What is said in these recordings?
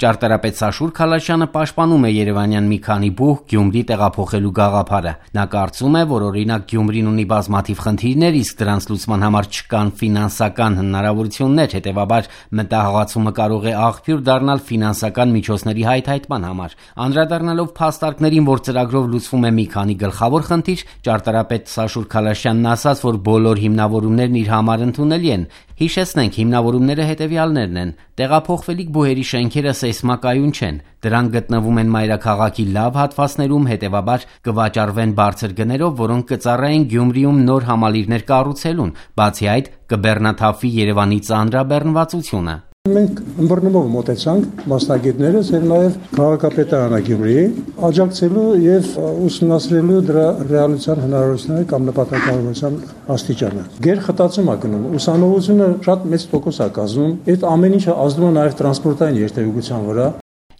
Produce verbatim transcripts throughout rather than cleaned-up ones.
Ճարտարապետ Սաշուր Քալաշյանը պաշտպանում է երևանյան մի քանի բուհ Գյումրի տեղափոխելու գաղափարը։ Նա կարծում է, որ օրինակ Գյումրին ունի բազմաթիվ խնդիրներ, իսկ դրանց լուծման համար չկան ֆինանսական հնարավորություններ, հետևաբար մտահղացումը կարող է աղբյուր դառնալ ֆինանսական միջոցների հայթայթման համար։ Անդրադառնալով փաստարկներին, որ ծրագրով լուծվում է մի քանի գլխավոր խնդիր, ճարտարապետ Սաշուր Քալաշյանն ասաց, որ բոլոր հիմնավորումներն իր համար ընդունելի են։ Հիշեցնենք, հիմնավորումները հետևյալներն են. տեղափոխվելիք բուհերի շենքերը սեյսմակայուն չեն, դրանք գտնվում են մայրաքաղաքի լավ հատվածներում, հետևաբար կվաճառվեն բարձր գներով, որոնք կծառայեն Գյումրիում նոր համալիրներ կառուցելուն, բացի այդ կբեռնաթափվի Երևանի ծանրաբեռնվածությունը։ Մենք ըմբռնումով մոտեցանք մասնագետներս եւ նաեւ քաղաքապետարանը Գյումրիի աջակցելու եւ ուսումնասիրելու դրա ռեալության հնարավորությունները կամ նպատակավորության աստիճանը։ Գերխտացում է գնում, ուսանողությունը շատ մեծ տոկոս է կազմում, այդ ամեն ինչը ազդում է նաեւ տրանսպորտային երթևեկության վրա։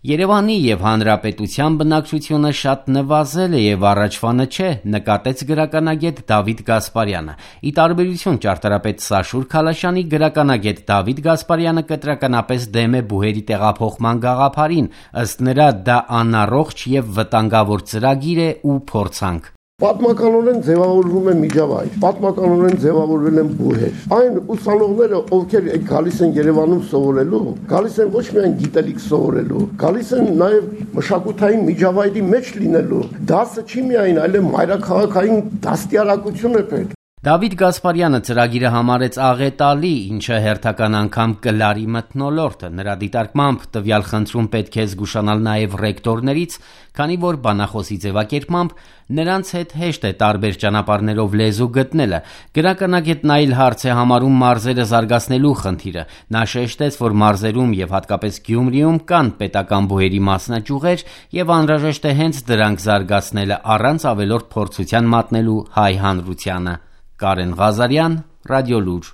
Երևանի եւ հանրապետության բնակչությունը շատ նվազել է եւ առաջվանը չէ, նկատեց գրականագետ Դավիթ Գասպարյանը։ Ի տարբերություն ճարտարապետ Սաշուր Քալաշյանի, գրականագետ Դավիթ Գասպարյանը կտրականապես դեմ է բուհերի տեղափոխման գաղափարին, ըստ նրա դա անառողջ եւ վտանգավոր ծրագիր է ու փորձանք։ Պատմականորեն ձևավորվում է միջավայր, պատմականորեն ձևավորվել են բուհեր։ Այն ուսանողները, ովքեր գալիս են Երևանում սովորելու, գալիս են ոչ միայն գիտելիք սովորելու, գալիս են նաև մշակութային միջավայրի մեջ լինելու։ Դասը չի միայն, այլ մայրաքաղաքային դաստիարակություն է պետք։ Դավիթ Գասպարյանը ծրագիրը համարեց աղետալի, ինչը հերթական անգամ կլարի մթնոլորտը։ Նրա դիտարկմամբ տվյալ խնդրում պետք է զգուշանալ նաև ռեկտորներից, քանի որ բանախոսի ձևակերպմամբ նրանց հետ հեշտ է տարբեր ճանապարհներով լեզու գտնելը։ Գրականագետն այլ հարց է համարում մարզերը զարգացնելու խնդիրը։ Նա շեշտեց, որ մարզերում եւ հատկապես Գյումրիում կան պետական բուհերի մասնաճյուղեր եւ անհրաժեշտ է հենց դրանք զարգացնելը առանց ավելորդ փորձության մատնելու հայ հանրությանը։ Կարեն Ղազարյան, Ռադիոլուր։